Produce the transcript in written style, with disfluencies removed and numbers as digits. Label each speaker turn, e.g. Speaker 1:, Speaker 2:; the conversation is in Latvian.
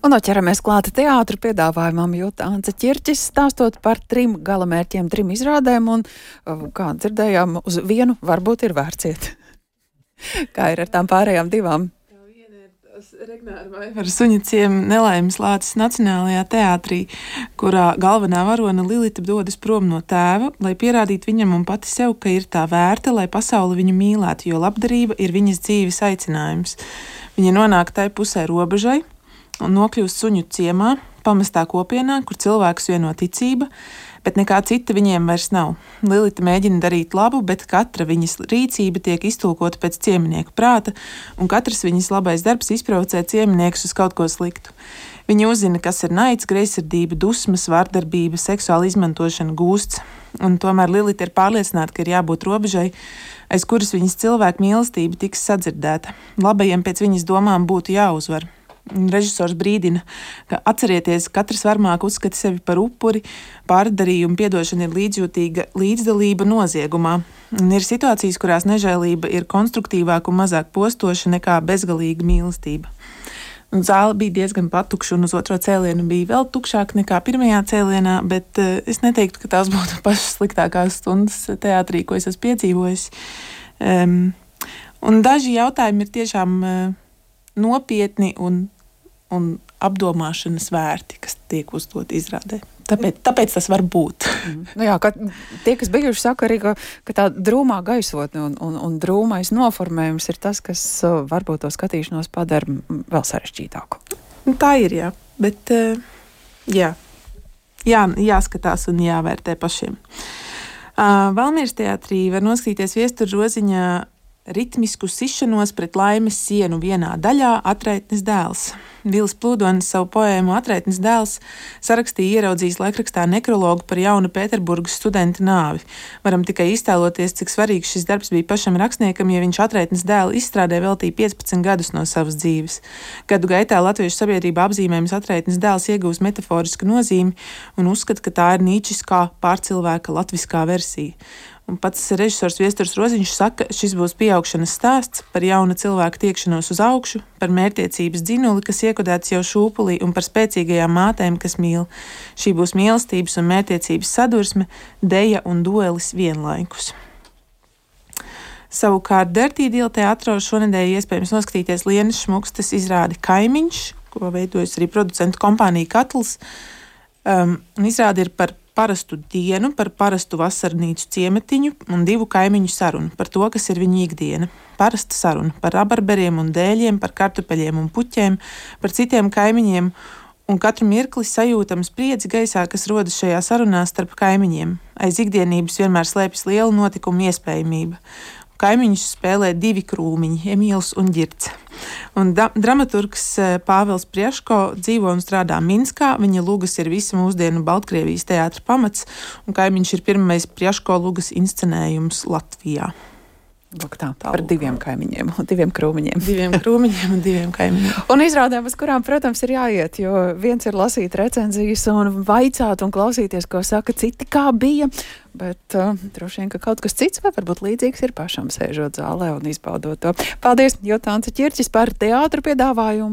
Speaker 1: Un ķeramies klāta teātra piedāvājumam, jo Anta Ķirķis stāstot par 3 galamērķiem, 3 izrādēm, un, kā dzirdējām, uz vienu varbūt ir vērts iet. Kā ir ar tām pārējām 2?
Speaker 2: Regnāra Vaivara Suņa nelaimes lācis Nacionālajā teātrī, kurā galvenā varone Lilita dodas prom no tēva, lai pierādītu viņam un pati sev, ka ir tā vērta, lai pasauli viņu mīlētu, jo labdarība ir viņas dzīves aicinājums. Viņa nonāk tai pusē robežai un nokļūst suņu ciemā, pamestā kopienā, kur cilvēkus vieno ticība, bet nekā cita viņiem vairs nav. Lilita mēģina darīt labu, bet katra viņas rīcība tiek iztulkota pēc cieminieku prāta, un katrs viņas labais darbs izprovocē cieminiekus uz kaut ko sliktu. Viņa uzzina, kas ir naids, greizsirdība, dusmas, vardarbība, seksuāla izmantošana, gūsts, un tomēr Lilita ir pārliecināta, ka ir jābūt robežai, aiz kuras viņas cilvēku mīlestība tiks sadzirdēta. Labajiem pēc viņas domām būtu jāuzvar. Režisors brīdina, ka atcerieties, katrs varmāk uzskata sevi par upuri, pārdarījumu piedošana ir līdzjūtīga līdzdalība noziegumā. Un ir situācijas, kurās nežēlība ir konstruktīvāka un mazāk postoša nekā bezgalīga mīlestība. Un zāle bija diezgan patukša, un uz otro cēlienu bija vēl tukšāk nekā pirmajā cēlienā, bet es neteiktu, ka tās būtu pašas sliktākās stundas teātrī, ko es esmu piedzīvojis. Un daži jautājumi ir tiešām nopietni un apdomāšanas vērti, kas tiek uzdot izrādē. Tāpēc tas var būt.
Speaker 1: Nu jā, tie, kas bijuši, saka arī, ka tā drūmā gaisotne un drūmais noformējums ir tas, kas varbūt to skatīšanos padara vēl sarežģītāku.
Speaker 2: Tā ir, jā. Bet jāskatās un jāvērtē pašiem. Valmieras teātrī var noskatīties Viestura Roziņa ritmisku sišanos pret laimes sienu vienā daļā Atraitnes dēls. Vils Plūdonis savu poēmu Atraitnes dēls sarakstīja ieraudzījis laikrakstā nekrologu par jaunu Pēterburgas studenta nāvi. Varam tikai iztēloties, cik svarīgs šis darbs bija pašam rakstniekam, ja viņš Atraitnes dēla izstrādē veltīja 15 gadus no savas dzīves. Gadu gaitā latviešu sabiedrība apzīmējums Atraitnes dēls iegūst metaforisku nozīmi un uzskata, ka tā ir nīčiskā pārcilvēka latviskā versija. Un pats režisors Viesturs Roziņš saka, šis būs pieaugšanas stāsts par jauna cilvēka tiekšanos uz augšu, par mērķtiecības dzinuli, kas iekodēts jau šūpulī, un par spēcīgajām mātēm, kas mīl. Šī būs mīlestības un mērķtiecības sadursme, deja un duelis vienlaikus. Savukārt Dirty Deal teātrā šonedēļ iespējams noskatīties Lienas Šmukstes izrādi Kaimiņš, ko veidojas arī producentu kompānija Katls. Izrāde ir par parastu dienu, par parastu vasarnīcu ciemetiņu un 2 kaimiņu sarunu par to, kas ir viņu ikdiena. Parasta saruna par rabarberiem un dēļiem, par kartupeļiem un puķiem, par citiem kaimiņiem, un katru mirkli sajūtams spriedzi gaisā, kas rodas šajā sarunā starp kaimiņiem. Aiz ikdienības vienmēr slēpjas liela notikuma iespējamība. Kaimiņus spēlē 2 krūmiņi, Emīls un Ģirce. Un dramaturgs Pāvils Prieško dzīvo un strādā Minskā. Viņa lugas ir visa mūsdienu Baltkrievijas teātra pamats, un Kaimiņš ir pirmais Prieško lugas inscenējums Latvijā.
Speaker 1: Lūk tā, par 2 kaimiņiem un 2 krūmiņiem.
Speaker 2: 2 krūmiņiem un 2 kaimiņiem.
Speaker 1: Un izrādēm, uz kurām, protams, ir jāiet, jo viens ir lasīt recenzijas un vaicāt un klausīties, ko saka citi, kā bija, bet droši vien, ka kaut kas cits vai varbūt līdzīgs ir pašam sēžot zālē un izbaudot to. Paldies, Anta Ķirķis par teātru piedāvājumu.